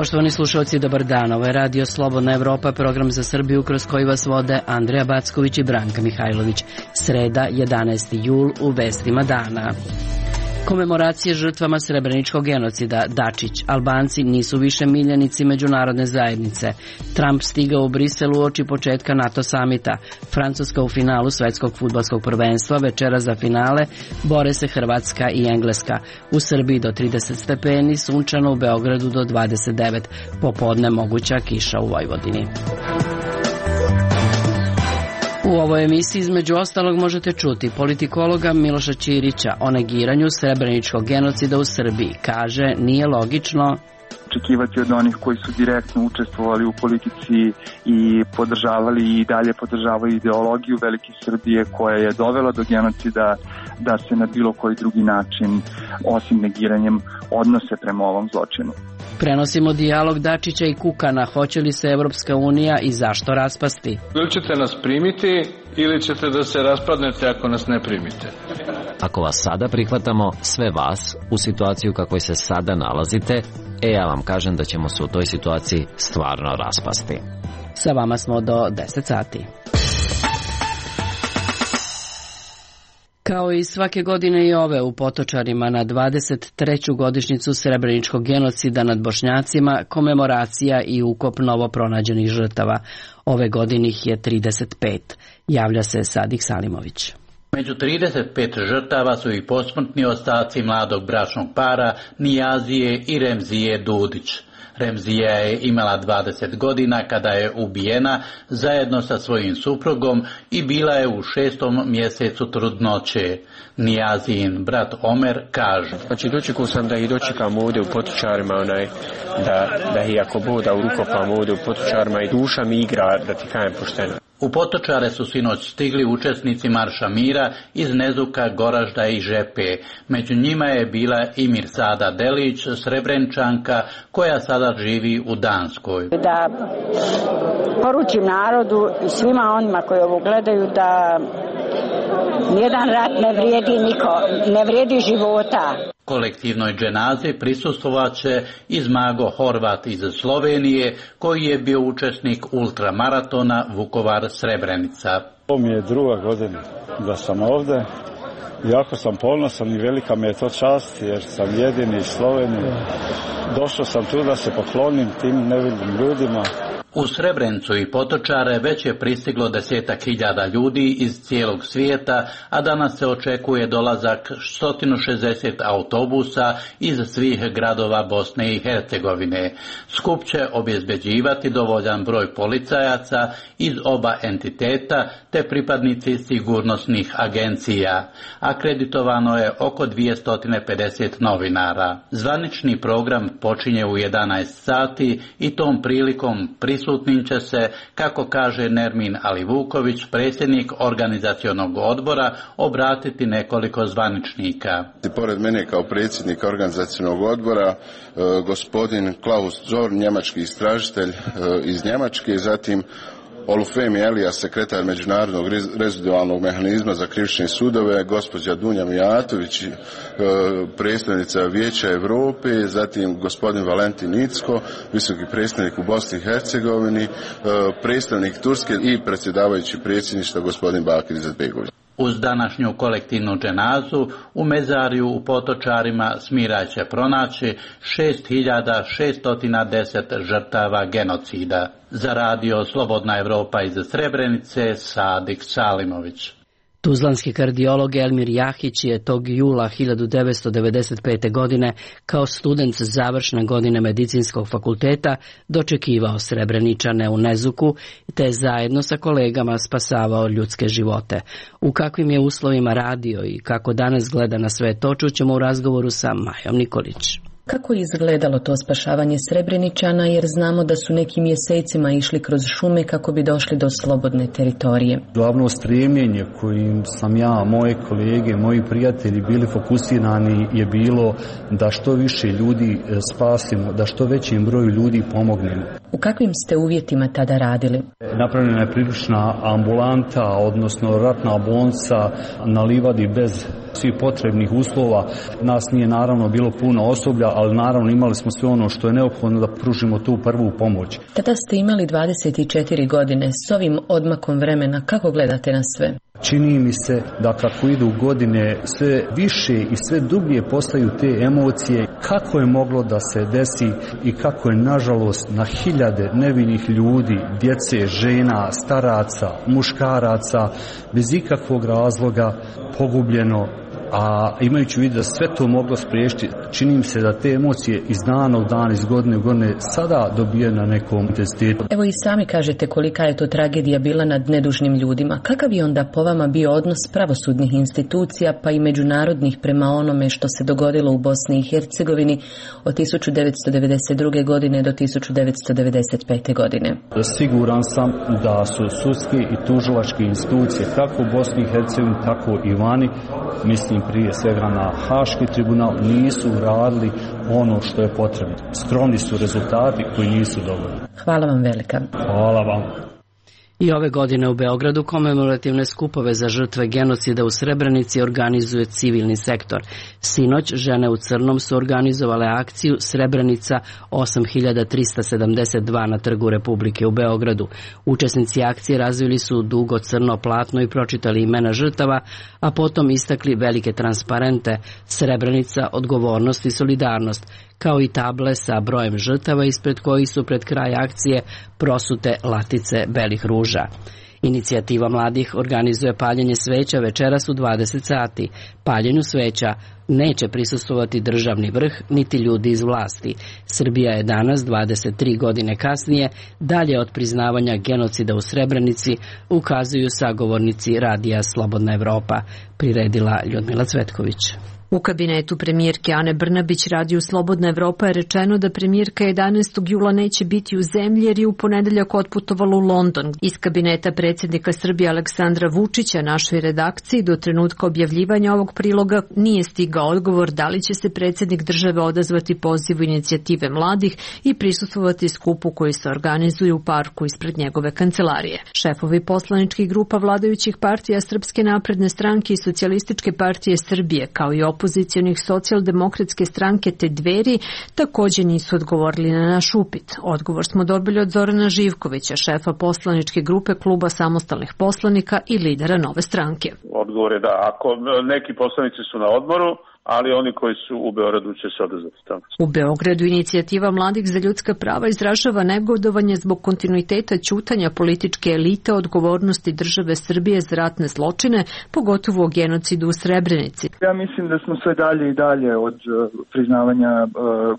Poštovani slušalci, dobar dan. Ovo je Radio Slobodna Evropa, program za Srbiju kroz koji vas vode Andreja Backović i Branka Mihajlović. Sreda, 11. jul, u vestima dana. Komemoracije žrtvama srebreničkog genocida. Dačić: Albanci nisu više miljenici međunarodne zajednice. Trump stigao u Brisel uoči početka NATO samita. Francuska u finalu svetskog fudbalskog prvenstva. Večera za finale bore se Hrvatska i Engleska. U Srbiji do 30 stepeni, sunčano, u Beogradu do 29. Popodne moguća kiša u Vojvodini. U ovoj emisiji između ostalog možete čuti politikologa Miloša Ćirića o negiranju srebreničkog genocida u Srbiji. Kaže, nije logično očekivati od onih koji su direktno učestvovali u politici i podržavali i dalje podržavaju ideologiju Velike Srbije koja je dovela do genocida, da se na bilo koji drugi način, osim negiranjem, odnose prema ovom zločinu. Prenosimo dijalog Dačića i Kukana. Hoće li se Evropska unija i zašto raspasti? Ili ćete nas primiti ili ćete da se raspadnete ako nas ne primite. Ako vas sada prihvatamo, sve vas, u situaciju u kakvoj se sada nalazite, ja vam kažem da ćemo se u toj situaciji stvarno raspasti. Sa vama smo do 10 sati. Kao i svake godine i ove, u Potočarima na 23. godišnjicu srebreničkog genocida nad Bošnjacima komemoracija i ukop novo pronađenih žrtava. Ove godine ih je 35. Javlja se Sadik Salimović. Među 35 žrtava su i posmrtni ostaci mladog bračnog para Nijazije i Remzije Dudić. Remzija je imala 20 godina kada je ubijena zajedno sa svojim suprugom i bila je u 6. mjesecu trudnoće. Nijazijin brat Omer kaže: Znači, dočekao sam da ih dočekam ovdje u Potočarima, da ih ako boda ukopam ovdje u Potočarima i duša mi igra, da ti kajem pošteno. U Potočare su sinoć stigli učesnici Marša mira iz Nezuka, Goražda i Žepe. Među njima je bila i Mirsada Delić, Srebrenčanka, koja sada živi u Danskoj. Da poručim narodu i svima onima koji ovo gledaju da nijedan rat ne vrijedi života. Kolektivnoj dženazi prisustvovaće i Zmago Horvat iz Slovenije, koji je bio učesnik ultramaratona Vukovar-Srebrenica. Ovo mi je druga godina da sam ovdje. Jako sam ponosan i velika mi je to čast jer sam jedini iz Slovenije. Došao sam tu da se poklonim tim nevidim ljudima. U Srebrenicu i Potočare već je pristiglo 10.000 ljudi iz cijelog svijeta, a danas se očekuje dolazak 160 autobusa iz svih gradova Bosne i Hercegovine. Skup će obezbeđivati dovoljan broj policajaca iz oba entiteta te pripadnici sigurnosnih agencija. Akreditovano je oko 250 novinara. Zvanični program počinje u 11 sati i tom prilikom prisutnim će se, kako kaže Nermin Alivuković, predsjednik organizacionog odbora, obratiti nekoliko zvaničnika. Pored mene kao predsjednik organizacionog odbora gospodin Klaus Zorn, njemački istražitelj iz Njemačke, zatim Olufemi Elija, sekretar Međunarodnog rezidualnog mehanizma za krivične sudove, gospođa Dunja Mijatović, predstavnica Vijeća Europe, zatim gospodin Valentin Nicko, visoki predstavnik u Bosni i Hercegovini, predstavnik Turske i predsjedavajući predsjedništva gospodin Bakir Izetbegović. Uz današnju kolektivnu dženazu u mezariju u Potočarima Smiraj će pronaći 6610 žrtava genocida. Za Radio Slobodna Evropa iz Srebrenice, Sadik Salimović. Tuzlanski kardiolog Elmir Jahić je tog jula 1995. godine kao student završne godine medicinskog fakulteta dočekivao Srebreničane u Nezuku te zajedno sa kolegama spasavao ljudske živote. U kakvim je uslovima radio i kako danas gleda na sve to čućemo u razgovoru sa Majom Nikolić. Kako je izgledalo to spašavanje Srebreničana, jer znamo da su neki mjesecima išli kroz šume kako bi došli do slobodne teritorije? Glavno stremljenje kojim sam ja, moje kolege, moji prijatelji bili fokusirani je bilo da što više ljudi spasimo, da što većem broju ljudi pomognemo. U kakvim ste uvjetima tada radili? Napravljena je priručna ambulanta, odnosno ratna bolnica na livadi bez svih potrebnih uslova. Nas nije naravno bilo puno osoblja, ali naravno imali smo sve ono što je neophodno da pružimo tu prvu pomoć. Tada ste imali 24 godine. S ovim odmakom vremena kako gledate na sve? Čini mi se da kako idu godine sve više i sve dublje postaju te emocije kako je moglo da se desi i kako je nažalost na hiljade nevinih ljudi, djece, žena, staraca, muškaraca bez ikakvog razloga pogubljeno. A imajući u vidu da sve to moglo spriječiti, čini mi se da te emocije iz dana u dan, iz godine u godine sada dobije na nekom intenzitetu. Evo i sami kažete kolika je to tragedija bila nad nedužnim ljudima. Kakav je onda po vama bio odnos pravosudnih institucija pa i međunarodnih prema onome što se dogodilo u Bosni i Hercegovini od 1992. godine do 1995. godine? Siguran sam da su sudske i tužilačke institucije kako u Bosni i Hercegovini tako i vani, mislim prije svega na Haški tribunal, nisu radili ono što je potrebno. Skromni su rezultati koji nisu dovoljni. Hvala vam velika. Hvala vam. I ove godine u Beogradu komemorativne skupove za žrtve genocida u Srebrenici organizuje civilni sektor. Sinoć žene u crnom su organizovale akciju Srebrenica 8372 na Trgu Republike u Beogradu. Učesnici akcije razvili su dugo crno platno i pročitali imena žrtava, a potom istakli velike transparente Srebrenica, odgovornost i solidarnost, kao i table sa brojem žrtava ispred kojih su pred kraj akcije prosute latice belih ruža. Inicijativa mladih organizuje paljenje sveća večeras u 20 sati. Paljenju sveća neće prisustvovati državni vrh niti ljudi iz vlasti. Srbija je danas, 23 godine kasnije, dalje od priznavanja genocida u Srebrenici, ukazuju sagovornici radija Slobodna Evropa, priredila Ljudmila Cvetković. U kabinetu premijerke Ane Brnabić radiju Slobodna Evropa je rečeno da premijerka 11. jula neće biti u zemlji jer je u ponedeljak otputovala u London. Iz kabineta predsjednika Srbije Aleksandra Vučića našoj redakciji do trenutka objavljivanja ovog priloga nije stigao odgovor da li će se predsjednik države odazvati pozivu inicijative mladih i prisustvovati skupu koji se organizuje u parku ispred njegove kancelarije. Šefovi poslaničkih grupa vladajućih partija Srpske napredne stranke i Socijalističke partije Srbije, kao i opozicionih Socijaldemokratske stranke te Dveri, također nisu odgovorili na naš upit. Odgovor smo dobili od Zorana Živkovića, šefa poslaničke grupe Kluba samostalnih poslanika i lidera Nove stranke. Odgovor je da, ako neki poslanici su na odmoru, ali oni koji su u Beogradu će se odazvati tamo. U Beogradu inicijativa Mladih za ljudska prava izražava negodovanje zbog kontinuiteta ćutanja političke elite odgovornosti države Srbije za ratne zločine, pogotovo o genocidu u Srebrenici. Ja mislim da smo sve dalje i dalje od priznavanja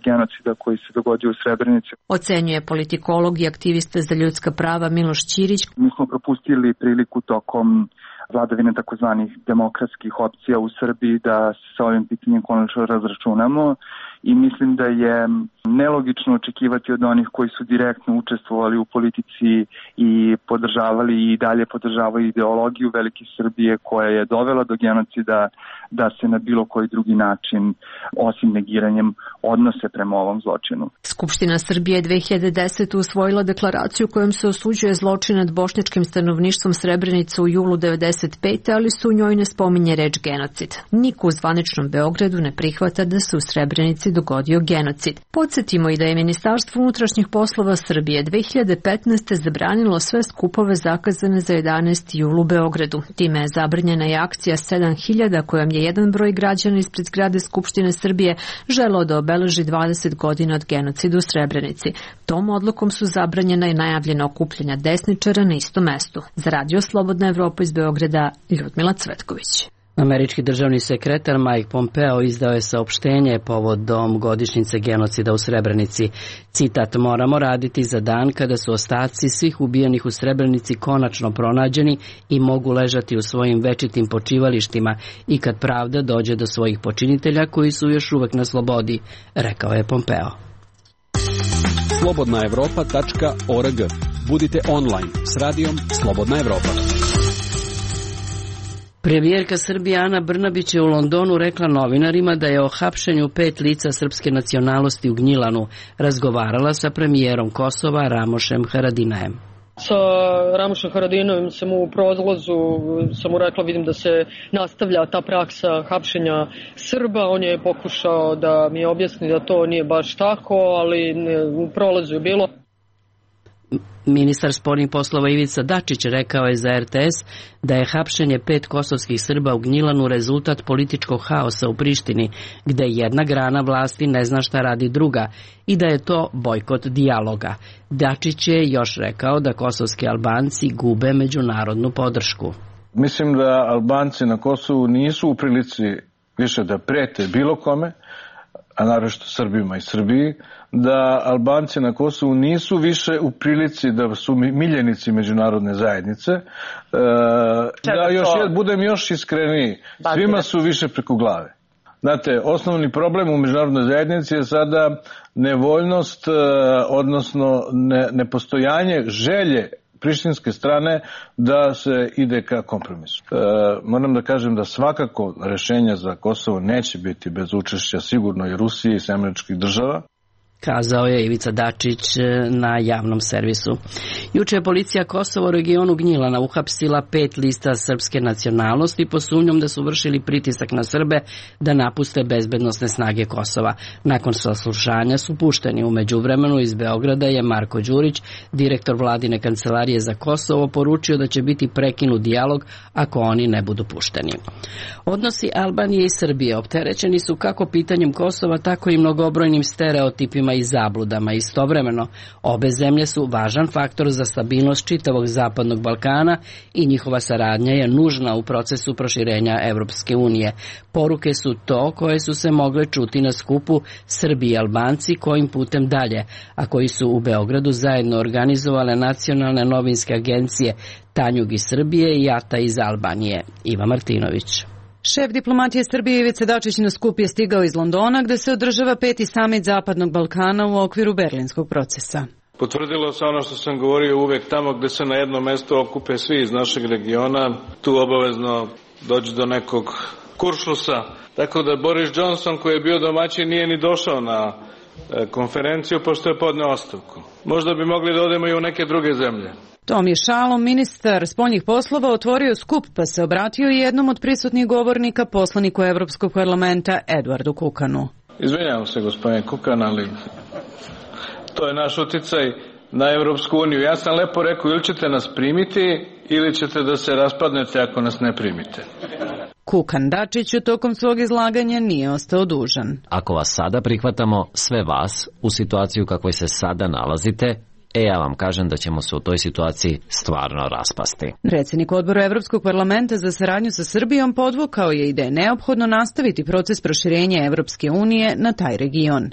genocida koji se dogodio u Srebrenici. Ocenjuje politikolog i aktivista za ljudska prava Miloš Ćirić. Mi smo propustili priliku tokom vladavine takozvanih demokratskih opcija u Srbiji da se sa ovim pitanjem konačno razračunamo i mislim da je nelogično očekivati od onih koji su direktno učestvovali u politici i podržavali i dalje podržavaju ideologiju Velike Srbije koja je dovela do genocida da se na bilo koji drugi način, osim negiranjem, odnose prema ovom zločinu. Skupština Srbije 2010. usvojila deklaraciju kojom se osuđuje zločin nad bošnjačkim stanovništvom Srebrenice u julu 1995. ali se u njoj ne spominje reč genocid. Niko u zvaničnom Beogradu ne prihvata da se u Srebrenici dogodio genocid. Podsjetimo i da je Ministarstvo unutrašnjih poslova Srbije 2015. zabranilo sve skupove zakazane za 11. jul u Beogradu. Time je zabranjena i akcija 7000 kojom je jedan broj građana ispred zgrade Skupštine Srbije želeo da obeleži 20 godina od genocida u Srebrenici. Tom odlukom su zabranjena i najavljena okupljanja desničara na istom mestu. Za radio Slobodna Evropa iz Beograda, Ljudmila Cvetković. Američki državni sekretar Mike Pompeo izdao je saopštenje povodom godišnjice genocida u Srebrenici. Citat: "Moramo raditi za dan kada su ostaci svih ubijenih u Srebrenici konačno pronađeni i mogu ležati u svojim večitim počivalištima i kad pravda dođe do svojih počinitelja koji su još uvek na slobodi", rekao je Pompeo. Slobodnaevropa.org. Budite online s radijom Slobodna Evropa. Premijerka Srbije Ana Brnabić je u Londonu rekla novinarima da je o hapšenju 5 lica srpske nacionalnosti u Gnjilanu razgovarala sa premijerom Kosova Ramošem Haradinajem. Sa Ramušem Haradinovim sam u prolazu, sam mu rekla, vidim da se nastavlja ta praksa hapšenja Srba. On je pokušao da mi objasni da to nije baš tako, ali u prolazu je bilo. Ministar spoljnih poslova Ivica Dačić rekao je za RTS da je hapšenje 5 kosovskih Srba u Gnjilanu rezultat političkog haosa u Prištini, gde jedna grana vlasti ne zna šta radi druga i da je to bojkot dijaloga. Dačić je još rekao da kosovski Albanci gube međunarodnu podršku. Mislim da Albanci na Kosovu nisu u prilici više da prete bilo kome, a naročito Srbima i Srbiji, da Albanci na Kosovu nisu više u prilici da su miljenici međunarodne zajednice. Da budem još iskreniji, svima su više preko glave. Znate, osnovni problem u međunarodnoj zajednici je sada nevoljnost, odnosno nepostojanje želje prištinske strane da se ide ka kompromisu. Moram da kažem da svakako rešenja za Kosovo neće biti bez učešća sigurno i Rusije i Američkih država. Kazao je Ivica Dačić na javnom servisu. Juče je policija Kosova u regionu Gnjilana uhapsila 5 lista srpske nacionalnosti pod sumnjom da su vršili pritisak na Srbe da napuste bezbednosne snage Kosova. Nakon saslušanja su pušteni. U međuvremenu iz Beograda je Marko Đurić, direktor vladine kancelarije za Kosovo, poručio da će biti prekinut dijalog ako oni ne budu pušteni. Odnosi Albanije i Srbije opterećeni su kako pitanjem Kosova, tako i mnogobrojnim stereotipima i zabludama. Istovremeno, obe zemlje su važan faktor za stabilnost čitavog Zapadnog Balkana i njihova saradnja je nužna u procesu proširenja Evropske unije. Poruke su to koje su se mogle čuti na skupu Srbi i Albanci kojim putem dalje, a koji su u Beogradu zajedno organizovale nacionalne novinske agencije Tanjug iz Srbije i Ata iz Albanije. Iva Martinović. Šef diplomatije Srbije Ivica Dačić na skup je stigao iz Londona, gde se održava 5. samit Zapadnog Balkana u okviru berlinskog procesa. Potvrdilo se ono što sam govorio, uvek tamo gde se na jedno mesto okupe svi iz našeg regiona, tu obavezno dođe do nekog kuršlusa. Tako da Boris Johnson, koji je bio domaćin, nije ni došao na konferenciju pošto je podneo ostavku. Možda bi mogli da odemo i u neke druge zemlje. Tom je šalom ministar spoljnih poslova otvorio skup, pa se obratio i jednom od prisutnih govornika, poslaniku Evropskog parlamenta Edwardu Kukanu. Izvinjavam se, gospodine Kukan, ali to je naš uticaj na Evropsku uniju. Ja sam lepo rekao, ili ćete nas primiti, ili ćete da se raspadnete ako nas ne primite. Kukan Dačiću tokom svog izlaganja nije ostao dužan. Ako vas sada prihvatamo, sve vas, u situaciju kakvoj se sada nalazite, ja vam kažem da ćemo se u toj situaciji stvarno raspasti. Predsjednik odbora Evropskog parlamenta za saradnju sa Srbijom podvukao je i da je neophodno nastaviti proces proširenja Evropske unije na taj region.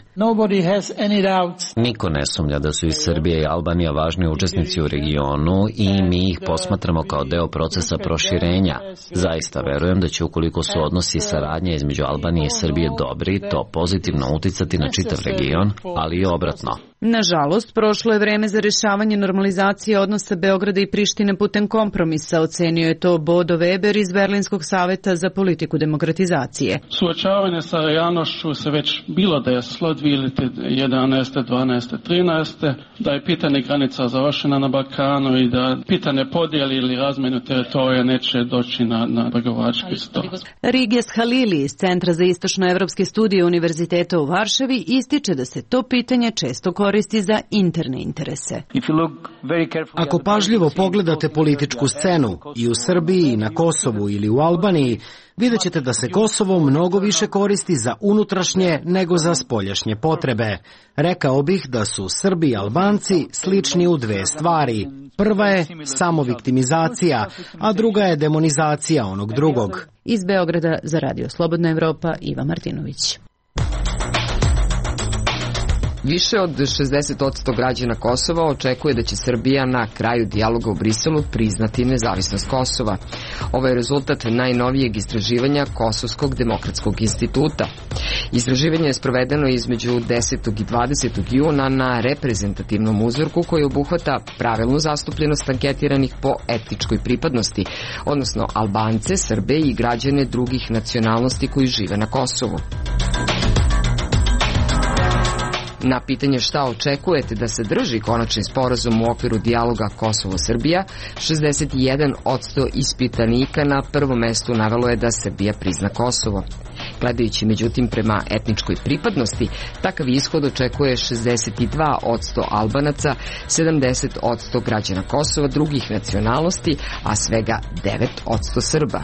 Niko ne sumnja da su i Srbija i Albanija važni učesnici u regionu i mi ih posmatramo kao deo procesa proširenja. Zaista verujem da će, ukoliko su odnosi i saradnja između Albanije i Srbije dobri, to pozitivno uticati na čitav region, ali i obratno. Nažalost, prošlo je vreme za rešavanje normalizacije odnosa Beograda i Prištine putem kompromisa, ocenio je to Bodo Weber iz Berlinskog saveta za politiku demokratizacije. Suočavanje sa realnošću se već bilo desilo 2011. 12. 13. da je pitanje granica završena na Balkanu i da pitanje podijeli ili razmenu teritorija neće doći na pregovarački stol. Riges Halili iz Centra za istočnoevropske studije Univerziteta u Varšavi ističe da se to pitanje često koristi za interne interese. Ako pažljivo pogledate političku scenu i u Srbiji, i na Kosovu ili u Albaniji, vidjet ćete da se Kosovo mnogo više koristi za unutrašnje nego za spoljašnje potrebe. Rekao bih da su Srbi i Albanci slični u dve stvari. Prva je samoviktimizacija, a druga je demonizacija onog drugog. Iz Beograda za Radio Slobodna Evropa, Iva Martinović. Više od 60% građana Kosova očekuje da će Srbija na kraju dijaloga u Briselu priznati nezavisnost Kosova. Ovo je rezultat najnovijeg istraživanja Kosovskog demokratskog instituta. Istraživanje je sprovedeno između 10. i 20. juna na reprezentativnom uzorku koji obuhvata pravilnu zastupljenost anketiranih po etničkoj pripadnosti, odnosno Albance, Srbe i građane drugih nacionalnosti koji žive na Kosovu. Na pitanje šta očekujete da se drži konačni sporazum u okviru dijaloga Kosovo-Srbija, 61% ispitanika na prvom mestu navelo je da Srbija prizna Kosovo. Gledajući međutim prema etničkoj pripadnosti, takav ishod očekuje 62% Albanaca, 70% građana Kosova drugih nacionalnosti, a svega 9% Srba.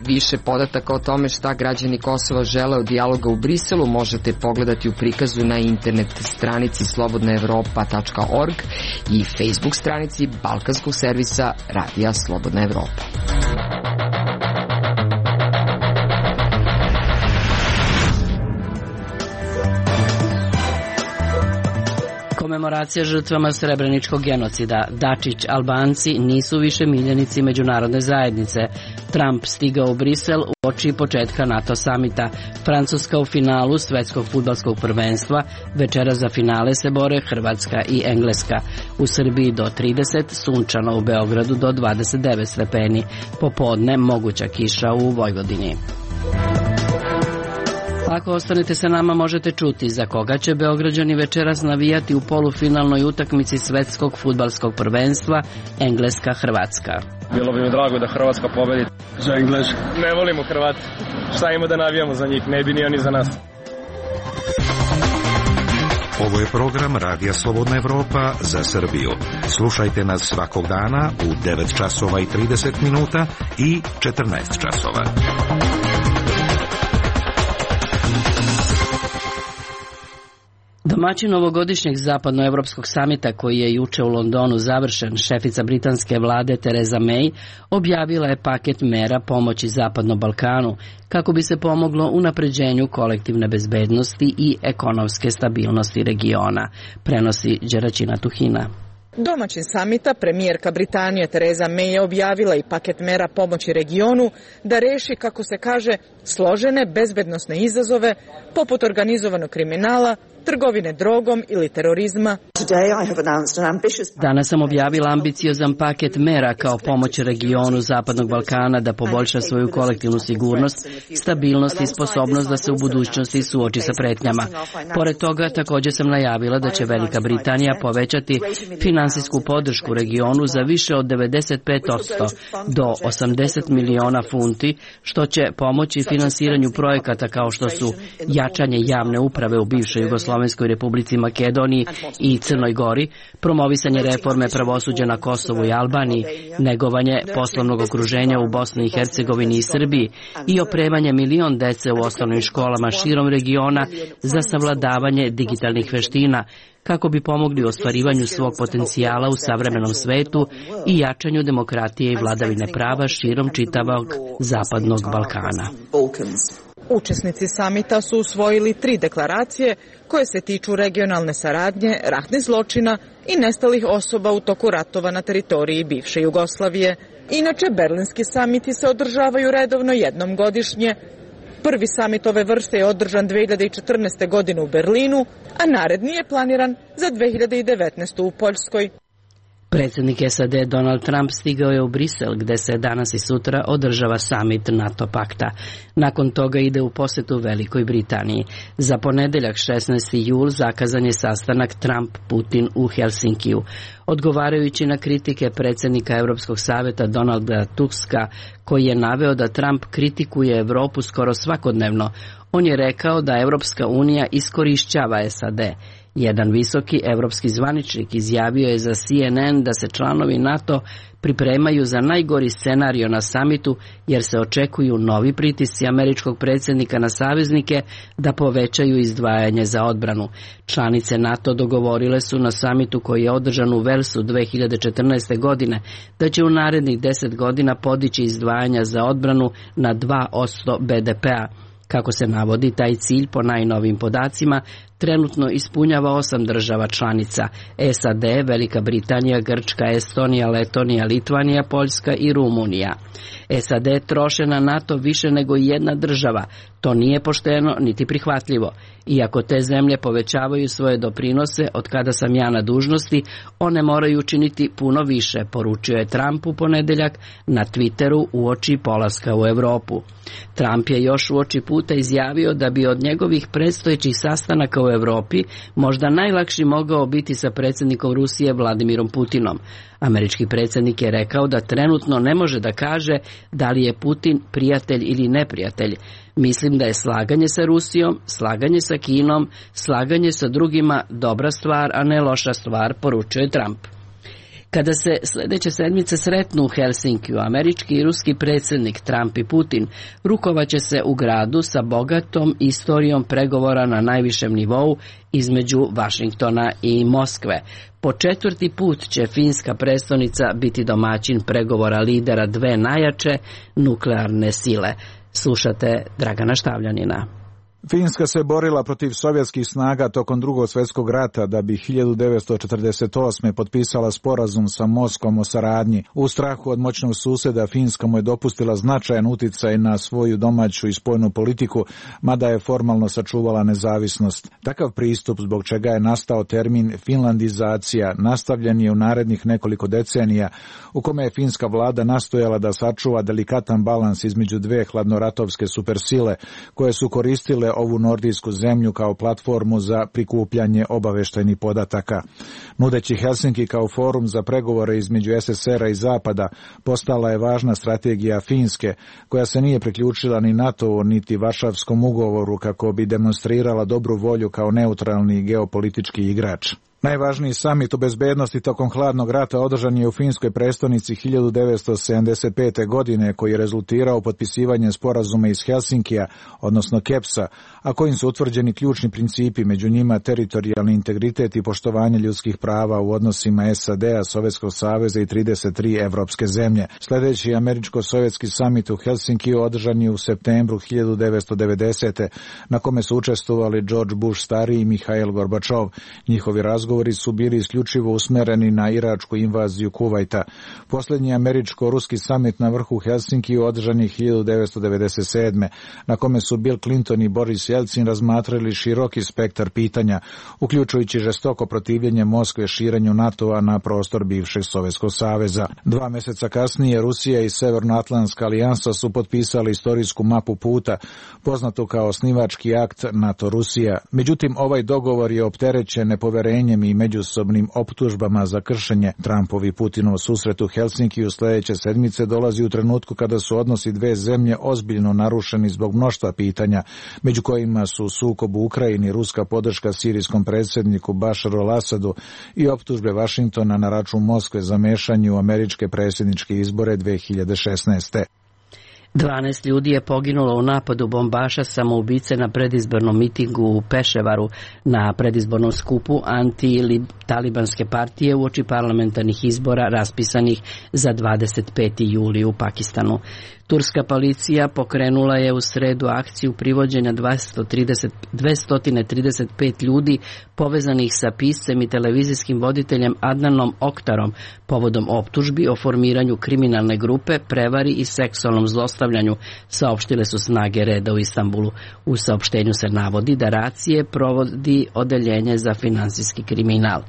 Više podataka o tome šta građani Kosova žele od dijaloga u Briselu možete pogledati u prikazu na internet stranici slobodnaevropa.org i Facebook stranici balkanskog servisa Radija Slobodna Evropa. Komemoracija žrtvama srebreničkog genocida. Dačić, Albanci nisu više miljenici međunarodne zajednice. Trump stigao u Brisel uoči početka NATO samita. Francuska u finalu svetskog fudbalskog prvenstva. Večera za finale se bore Hrvatska i Engleska. U Srbiji do 30, sunčano u Beogradu do 29 stepeni. Popodne moguća kiša u Vojvodini. Ako ostanete sa nama možete čuti za koga će Beograđani večeras navijati u polufinalnoj utakmici svetskog fudbalskog prvenstva Engleska-Hrvatska. Bilo bi mi drago da Hrvatska pobedi. Za Englesku. Ne volimo Hrvati. Šta ima da navijamo za njih? Ne bi ni oni za nas. Ovo je program Radija Slobodna Evropa za Srbiju. Slušajte nas svakog dana u 9 časova i 30 minuta i 14 časova. Domaćin ovogodišnjeg zapadnoevropskog samita koji je juče u Londonu završen, šefica britanske vlade Theresa May objavila je paket mera pomoći Zapadnom Balkanu kako bi se pomoglo unapređenju kolektivne bezbednosti i ekonomske stabilnosti regiona, prenosi Đeraćina Tuhina. Domaćin samita, premijerka Britanije Theresa May je objavila i paket mera pomoći regionu da reši, kako se kaže, složene bezbednosne izazove poput organizovanog kriminala, trgovine drogom ili terorizma. Danas sam objavila ambiciozan paket mera kao pomoć regionu Zapadnog Balkana da poboljša svoju kolektivnu sigurnost, stabilnost i sposobnost da se u budućnosti suoči sa pretnjama. Pored toga, također sam najavila da će Velika Britanija povećati finansijsku podršku regionu za više od 95% do 80 miliona funti, što će pomoći finansiranju projekata kao što su jačanje javne uprave u bivšoj Jugoslovenskoj Republici Makedoniji i Crnoj Gori, promovisanje reforme pravosuđa na Kosovu i Albaniji, negovanje poslovnog okruženja u Bosni i Hercegovini i Srbiji i opremanje 1 milion dece u osnovnim školama širom regiona za savladavanje digitalnih veština, kako bi pomogli u ostvarivanju svog potencijala u savremenom svetu i jačanju demokratije i vladavine prava širom čitavog Zapadnog Balkana. Učesnici samita su usvojili 3 deklaracije koje se tiču regionalne saradnje, ratnih zločina i nestalih osoba u toku ratova na teritoriji bivše Jugoslavije. Inače, berlinski samiti se održavaju redovno jednom godišnje. Prvi samit ove vrste je održan 2014. godine u Berlinu, a naredni je planiran za 2019. u Poljskoj. Predsjednik SAD Donald Trump stigao je u Brisel, gde se danas i sutra održava samit NATO pakta. Nakon toga ide u posjetu Velikoj Britaniji. Za ponedeljak 16. jul zakazan je sastanak Trump-Putin u Helsinkiju. Odgovarajući na kritike predsjednika Europskog savjeta Donalda Tuska, koji je naveo da Trump kritikuje Evropu skoro svakodnevno, on je rekao da Europska unija iskorišćava SAD. Jedan visoki evropski zvaničnik izjavio je za CNN da se članovi NATO pripremaju za najgori scenario na samitu jer se očekuju novi pritisci američkog predsjednika na saveznike da povećaju izdvajanje za odbranu. Članice NATO dogovorile su na samitu koji je održan u Velsu 2014. godine da će u narednih 10 godina podići izdvajanja za odbranu na 2% BDP-a. Kako se navodi, taj cilj po najnovim podacima trenutno ispunjava 8 država članica: SAD, Velika Britanija, Grčka, Estonija, Letonija, Litvanija, Poljska i Rumunija. SAD troše na NATO više nego jedna država. To nije pošteno niti prihvatljivo. Iako te zemlje povećavaju svoje doprinose od kada sam ja na dužnosti, one moraju učiniti puno više, poručio je Trump u ponedeljak na Twitteru uoči polaska u Evropu. Trump je još uoči puta izjavio da bi od njegovih predstojećih sastanaka u Evropi možda najlakši mogao biti sa predsjednikom Rusije Vladimirom Putinom. Američki predsjednik je rekao da trenutno ne može da kaže da li je Putin prijatelj ili neprijatelj. Mislim da je slaganje sa Rusijom, slaganje sa Kinom, slaganje sa drugima dobra stvar, a ne loša stvar, poručuje Trump. Kada se sljedeće sedmice sretnu u Helsinkiju, američki i ruski predsjednik Trump i Putin rukovaće se u gradu sa bogatom istorijom pregovora na najvišem nivou između Vašingtona i Moskve. Po 4. put će finska prestonica biti domaćin pregovora lidera dve najjače nuklearne sile. Slušate Dragana Štavljanina. Finska se borila protiv sovjetskih snaga tokom Drugog svjetskog rata da bi 1948. potpisala sporazum sa Moskvom o saradnji. U strahu od moćnog susjeda Finska mu je dopustila značajan uticaj na svoju domaću i spoljnu politiku, mada je formalno sačuvala nezavisnost. Takav pristup, zbog čega je nastao termin finlandizacija, nastavljen je u narednih nekoliko decenija, u kome je finska vlada nastojala da sačuva delikatan balans između dve hladnoratovske supersile koje su koristile ovu nordijsku zemlju kao platformu za prikupljanje obavještajnih podataka. Nudeći Helsinki kao forum za pregovore između SSR-a i Zapada, postala je važna strategija Finske, koja se nije priključila ni NATO-u niti Varšavskom ugovoru kako bi demonstrirala dobru volju kao neutralni geopolitički igrač. Najvažniji samit o bezbednosti tokom hladnog rata održan je u finskoj prestonici 1975. godine, koji je rezultirao potpisivanjem sporazuma iz Helsinkija, odnosno KEPS-a, a kojim su utvrđeni ključni principi, među njima teritorijalni integritet i poštovanje ljudskih prava u odnosima SAD-a, Sovjetskog saveza i 33 evropske zemlje. Sljedeći američko-sovjetski samit u Helsinkiju održan je u septembru 1990. na kome su učestvovali George Bush stariji i Mihail Gorbačov. Njihovi razgovori su bili isključivo usmereni na iračku invaziju Kuvajta. Posljednji američko-ruski samit na vrhu Helsinkiju održan je 1997. na kome su Bill Clinton i Boris Jelcin razmatrali široki spektar pitanja, uključujući žestoko protivljenje Moskve širenju NATO-a na prostor bivšeg Sovjetskog saveza. 2 mjeseca kasnije Rusija i Severnoatlantska alijansa su potpisali istorijsku mapu puta, poznatu kao osnivački akt NATO-Rusija. Međutim, ovaj dogovor je opterećen nepoverenjem i međusobnim optužbama za kršenje. Trumpov i Putinov susret u Helsinkiju sljedeće sedmice dolazi u trenutku kada su odnosi dve zemlje ozbiljno narušeni zbog mnoštva pitanja, među kojima su sukob u Ukrajini, ruska podrška sirijskom predsjedniku Bašaru al-Asadu i optužbe Vašingtona na račun Moskve za mešanje u američke predsjedničke izbore 2016. 12 ljudi je poginulo u napadu bombaša samoubice na predizbornom mitingu u Peševaru na predizbornom skupu anti-talibanske partije uoči parlamentarnih izbora raspisanih za 25. juli u Pakistanu. Turska policija pokrenula je u sredu akciju privođenja 235 ljudi povezanih sa piscem i televizijskim voditeljem Adnanom Oktarom povodom optužbi o formiranju kriminalne grupe, prevari i seksualnom zlostavljanju, saopštile su snage reda u Istanbulu. U saopštenju se navodi da racije provodi odeljenje za finansijski kriminal.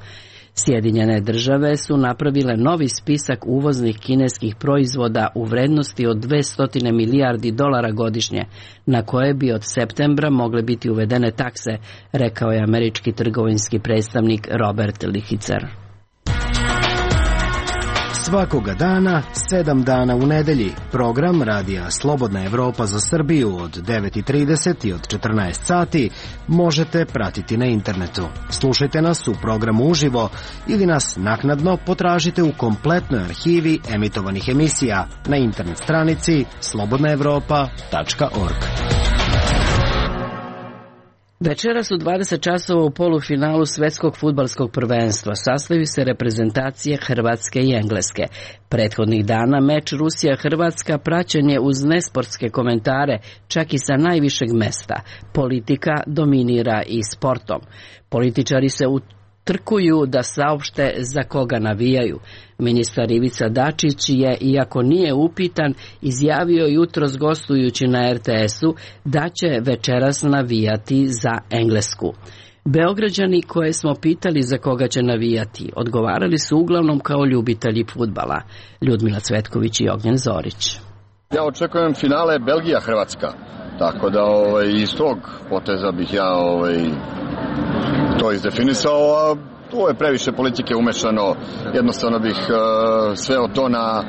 Sjedinjene države su napravile novi spisak uvoznih kineskih proizvoda u vrednosti od 200 milijardi dolara godišnje, na koje bi od septembra mogle biti uvedene takse, rekao je američki trgovinski predstavnik Robert Lichicer. Svakoga dana, 7 dana u nedelji, program Radija Slobodna Evropa za Srbiju od 9:30 i od 14 sati možete pratiti na internetu. Slušajte nas u programu uživo ili nas naknadno potražite u kompletnoj arhivi emitovanih emisija na internet stranici slobodnaevropa.org. Večeras u 20 časova u polufinalu svetskog fudbalskog prvenstva sastaju se reprezentacije Hrvatske i Engleske. Prethodnih dana meč Rusija-Hrvatska praćen je uz nesportske komentare, čak i sa najvišeg mesta. Politika dominira i sportom. Političari se utrkuju da saopšte za koga navijaju. Ministar Ivica Dačić je, iako nije upitan, izjavio jutros gostujući na RTS-u da će večeras navijati za Englesku. Beograđani koje smo pitali za koga će navijati, odgovarali su uglavnom kao ljubitelji fudbala. Ljudmila Cvetković i Ognjen Zorić. Ja očekujem finale Belgija-Hrvatska, tako da iz tog poteza bih ja to izdefinisao, a tu je previše politike umešano, jednostavno bih sveo to na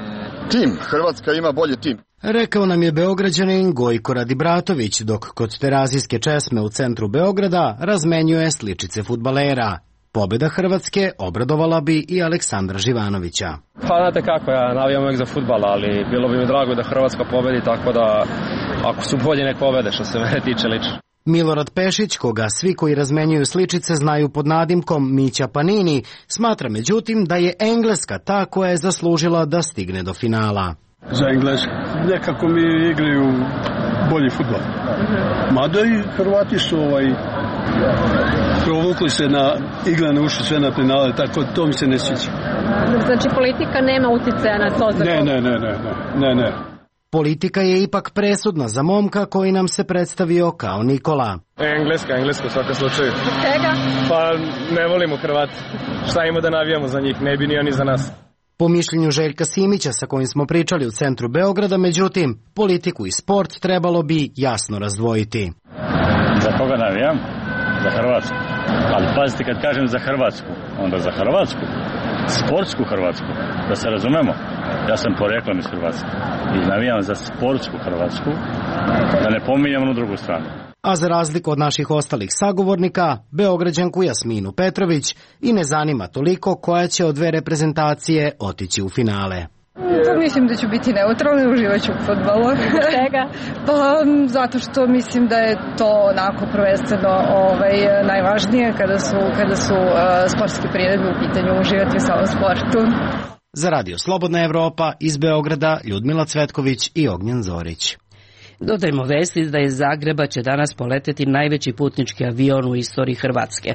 tim. Hrvatska ima bolji tim. Rekao nam je Beograđanin Gojko Radibratović, dok kod Terazijske česme u centru Beograda razmenjuje sličice fudbalera. Pobjeda Hrvatske obradovala bi i Aleksandra Živanovića. Pa znate kako, ja navijam uvijek za fudbal, ali bilo bi mi drago da Hrvatska pobedi, tako da ako su bolji nek pobede što se mene tiče lično. Milorad Pešić, koga svi koji razmenjuju sličice znaju pod nadimkom Mića Panini, smatra međutim da je Engleska ta koja je zaslužila da stigne do finala. Za Englesku. Nekako mi igraju bolji fudbal. Mada i Hrvati su provukli se na igrane uši sve na penale, tako to mi se ne sviđa. Znači politika nema uticaja na to? Ne. Politika je ipak presudna za momka koji nam se predstavio kao Nikola. Engleska u svakom slučaju. Čega? Pa ne volimo Hrvati. Šta ima da navijamo za njih, ne bi ni oni za nas. Po mišljenju Željka Simića sa kojim smo pričali u centru Beograda, međutim, politiku i sport trebalo bi jasno razdvojiti. Za koga navijam? Za Hrvatsku. Ali pazite, kad kažem za Hrvatsku, onda za Hrvatsku, sportsku Hrvatsku, da se razumemo. Ja sam poreklom iz Hrvatske i navijam za sportsku Hrvatsku, da ne pominjam onu drugu stranu. A za razliku od naših ostalih sagovornika, Beograđanku Jasminu Petrović i ne zanima toliko koja će od dve reprezentacije otići u finale. Pa mislim da ću biti neutralna, uživat ću u fudbalu. Čega? Pa zato što mislim da je to onako prvenstveno najvažnije kada su sportske priredbe u pitanju, uživati u samom sportu. Za Radio Slobodna Evropa iz Beograda Ljudmila Cvetković i Ognjen Zorić. Dodajmo vesti da iz Zagreba će danas poleteti najveći putnički avion u istoriji Hrvatske.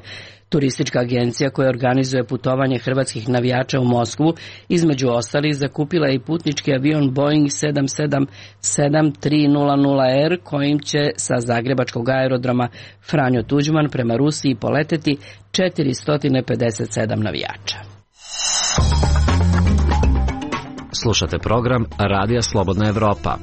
Turistička agencija koja organizuje putovanje hrvatskih navijača u Moskvu, između ostalih, zakupila je i putnički avion Boeing 777-300R kojim će sa zagrebačkog aerodroma Franjo Tuđman prema Rusiji poleteti 457 navijača. Slušate program Radija Slobodna Evropa.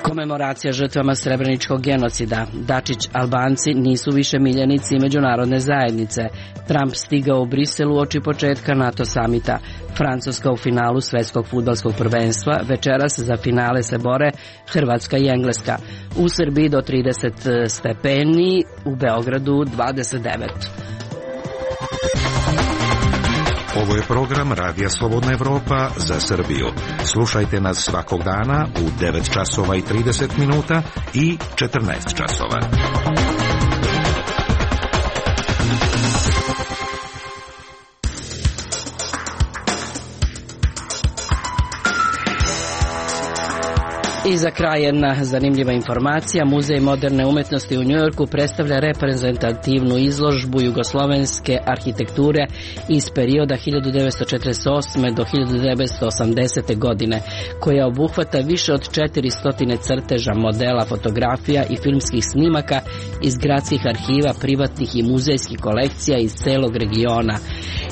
Komemoracija žrtvama Srebreničkog genocida. Dačić, Albanci nisu više miljenici međunarodne zajednice. Trump stigao u Brisel uoči početka NATO samita. Francuska u finalu svetskog fudbalskog prvenstva. Večeras za finale se bore Hrvatska i Engleska. U Srbiji do 30 stepeni, u Beogradu 29. Ovo je program Radija Slobodna Evropa za Srbiju. Slušajte nas svakog dana u 9 časova i 30 minuta i 14 časova. I za kraj jedna zanimljiva informacija. Muzej moderne umetnosti u Njujorku predstavlja reprezentativnu izložbu jugoslovenske arhitekture iz perioda 1948. do 1980. godine, koja obuhvata više od 400 crteža, modela, fotografija i filmskih snimaka iz gradskih arhiva, privatnih i muzejskih kolekcija iz celog regiona.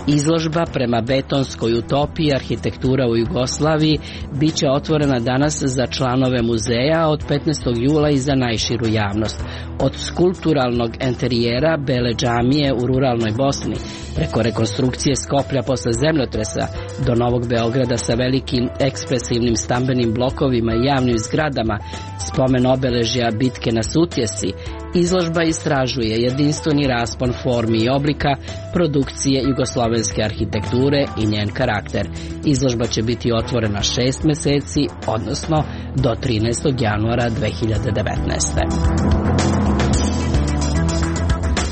Izložba prema betonskoj utopiji arhitektura u Jugoslaviji biće otvorena danas za članove muzeja od 15. jula i za najširu javnost. Od skulpturalnog enterijera Bele džamije u ruralnoj Bosni, preko rekonstrukcije Skoplja posle zemljotresa, do Novog Beograda sa velikim ekspresivnim stambenim blokovima i javnim zgradama, spomen obeležja bitke na Sutjesi Izložba istražuje jedinstveni raspon formi i oblika produkcije jugoslovenske arhitekture i njen karakter. Izložba će biti otvorena 6 meseci, odnosno do 13. januara 2019.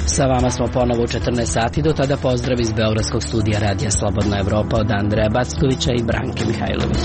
Sa vama smo ponovo u 14 sati, do tada pozdrav iz Beogradskog studija Radija Slobodna Evropa od Andreja Backovića i Branke Mihajlović.